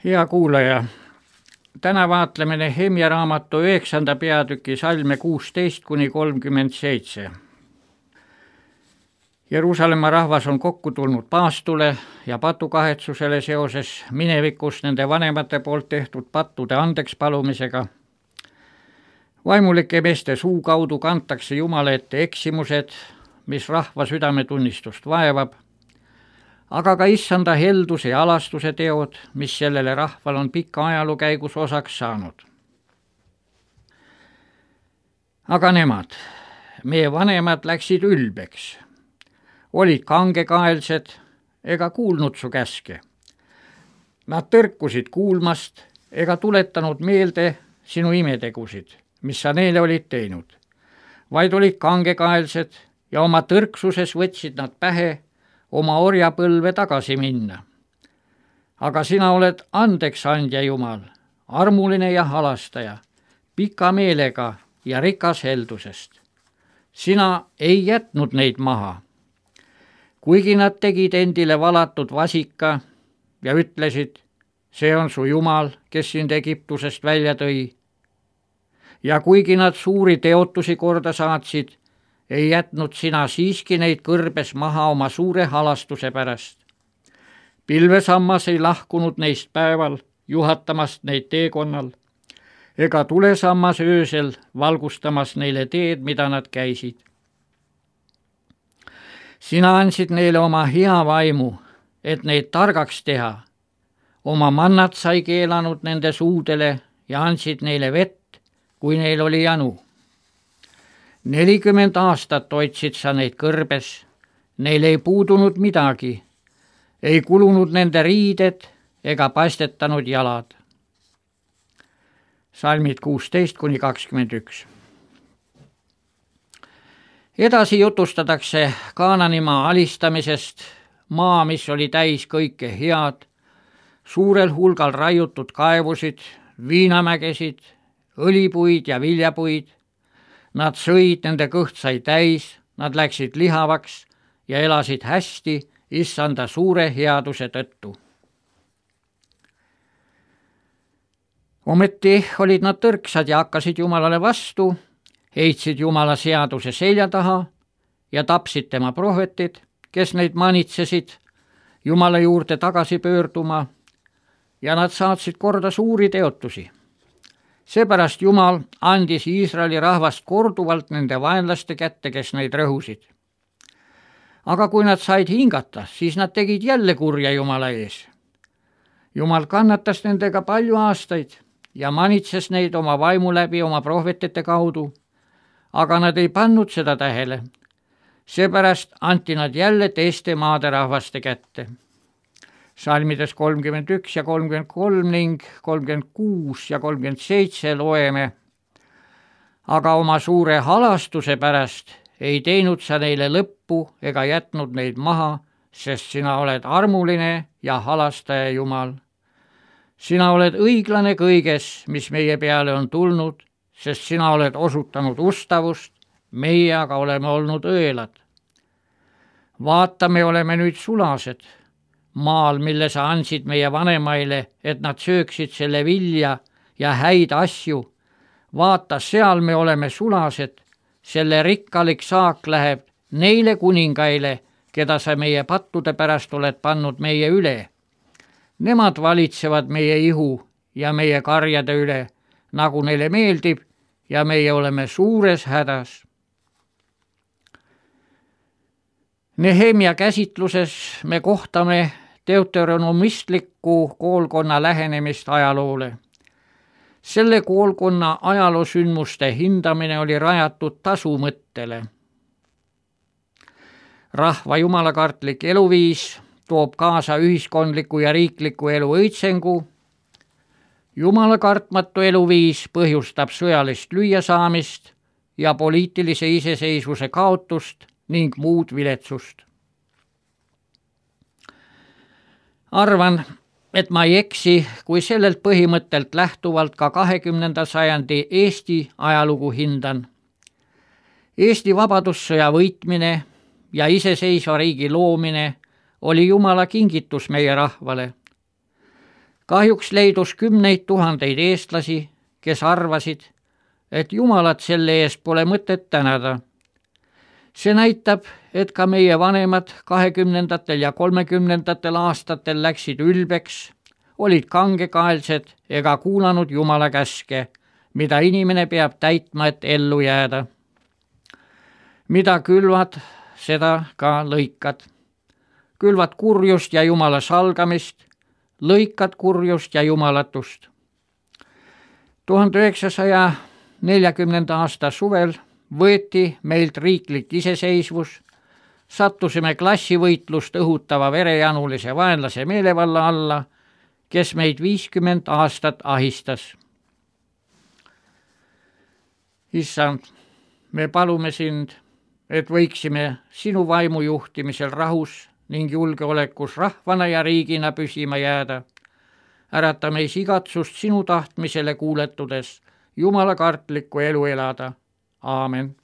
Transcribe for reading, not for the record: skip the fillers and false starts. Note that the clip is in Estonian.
Hea kuulaja, täna vaatleme Nehemja raamatu 9. peatüki salme 16–37. Jeruusalemma rahvas on kokku tulnud paastule ja patukahetsusele seoses minevikus nende vanemate poolt tehtud pattude andeks palumisega. Vaimulike meeste suu kaudu kantakse Jumala ette eksimused, mis rahva südametunnistust vaevab, aga ka issanda helduse ja alastuse teod, mis sellele rahval on pika ajaloo käigus osaks saanud. Aga nemad, meie vanemad läksid ülbeks, olid kangekaelsed ega kuulnud su käske. Nad tõrkusid kuulmast ega tuletanud meelde sinu imetegusid, mis sa neile olid teinud, vaid olid kangekaelsed ja oma tõrksuses võtsid nad pähe oma orjapõlve tagasi minna. Aga sina oled andeksandja Jumal, armuline ja halastaja, pika meelega ja rikas heldusest. Sina ei jätnud neid maha. Kuigi nad tegid endile valatud vasika ja ütlesid, see on su Jumal, kes sind Egiptusest välja tõi. Ja kuigi nad suuri teotusi korda saatsid, ei jätnud sina siiski neid kõrbes maha oma suure halastuse pärast. Pilvesammas ei lahkunud neist päeval juhatamast neid teekonnal, ega tulesammas öösel valgustamas neile teed, mida nad käisid. Sina andsid neile oma hea vaimu, et neid targaks teha. Oma mannat sai keelanud nende suudele ja andsid neile vett, kui neil oli janu. 40 aastat hoidsid sa neid kõrbes, neil ei puudunud midagi, ei kulunud nende riided ega paistetanud jalad. Salmid 16–21. Edasi jutustatakse Kaananimaa alistamisest, maa, mis oli täis kõike head, suurel hulgal raiutud kaevusid, viinamägesid, õlipuid ja viljapuid. Nad sõid, nende kõht sai täis, nad läksid lihavaks ja elasid hästi issanda suure headuse tõttu. Ometi olid nad tõrksad ja hakkasid Jumalale vastu, heitsid Jumala seaduse selja taha ja tapsid tema prohvetid, kes neid manitsesid Jumala juurde tagasi pöörduma, ja nad saatsid korda suuri teotusi. Seepärast Jumal andis Iisraeli rahvast korduvalt nende vaenlaste kätte, kes neid rõhusid. Aga kui nad said hingata, siis nad tegid jälle kurja Jumala ees. Jumal kannatas nendega palju aastaid ja manitses neid oma vaimu läbi oma prohvetite kaudu, aga nad ei pannud seda tähele. Seepärast anti nad jälle teiste maade rahvaste kätte. Salmides 31 ja 33 ning 36 ja 37 loeme. Aga oma suure halastuse pärast ei teinud sa neile lõppu ega jätnud neid maha, sest sina oled armuline ja halastaja Jumal. Sina oled õiglane kõiges, mis meie peale on tulnud, sest sina oled osutanud ustavust, meie aga oleme olnud õelad. Vaata, me oleme nüüd sulased. Maal, mille sa andsid meie vanemaile, et nad sööksid selle vilja ja häid asju. Vaata, seal me oleme sulased, selle rikkalik saak läheb neile kuningaile, keda sa meie pattude pärast oled pannud meie üle. Nemad valitsevad meie ihu ja meie karjade üle, nagu neile meeldib, ja meie oleme suures hädas. Nehemja käsitluses me kohtame deuteronomistliku koolkonna lähenemist ajaloole. Selle koolkonna ajaloosündmuste hindamine oli rajatud tasumõttele. Rahva jumalakartlik eluviis toob kaasa ühiskondliku ja riikliku elu õitsengu. Jumalakartmatu eluviis põhjustab sõjalist lüüasaamist ja poliitilise iseseisvuse kaotust ning muud viletsust. Arvan, et ma ei eksi, kui sellelt põhimõttelt lähtuvalt ka 20. sajandi Eesti ajalugu hindan. Eesti vabadussõja võitmine ja iseseisva riigi loomine oli Jumala kingitus meie rahvale. Kahjuks leidus 10 000 eestlasi, kes arvasid, et Jumalat selle eest pole mõtet tänada. See näitab, et ka meie vanemad 20. ja 30. aastatel läksid ülbeks, olid kangekaelsed ega kuulanud Jumala käske, mida inimene peab täitma, et ellu jääda. Mida külvad, seda ka lõikad. Külvad kurjust ja Jumala salgamist, lõikad kurjust ja jumalatust. 1940. aasta suvel võeti meilt riiklik iseseisvus, sattusime klassivõitlust õhutava verejanulise vaenlase meelevalla alla, kes meid 50 aastat ahistas. Issand, me palume sind, et võiksime sinu vaimu juhtimisel rahus ning julgeolekus rahvana ja riigina püsima jääda. Ärata meis igatsust sinu tahtmisele kuuletudes Jumala kartlikku elu elada. Aamen.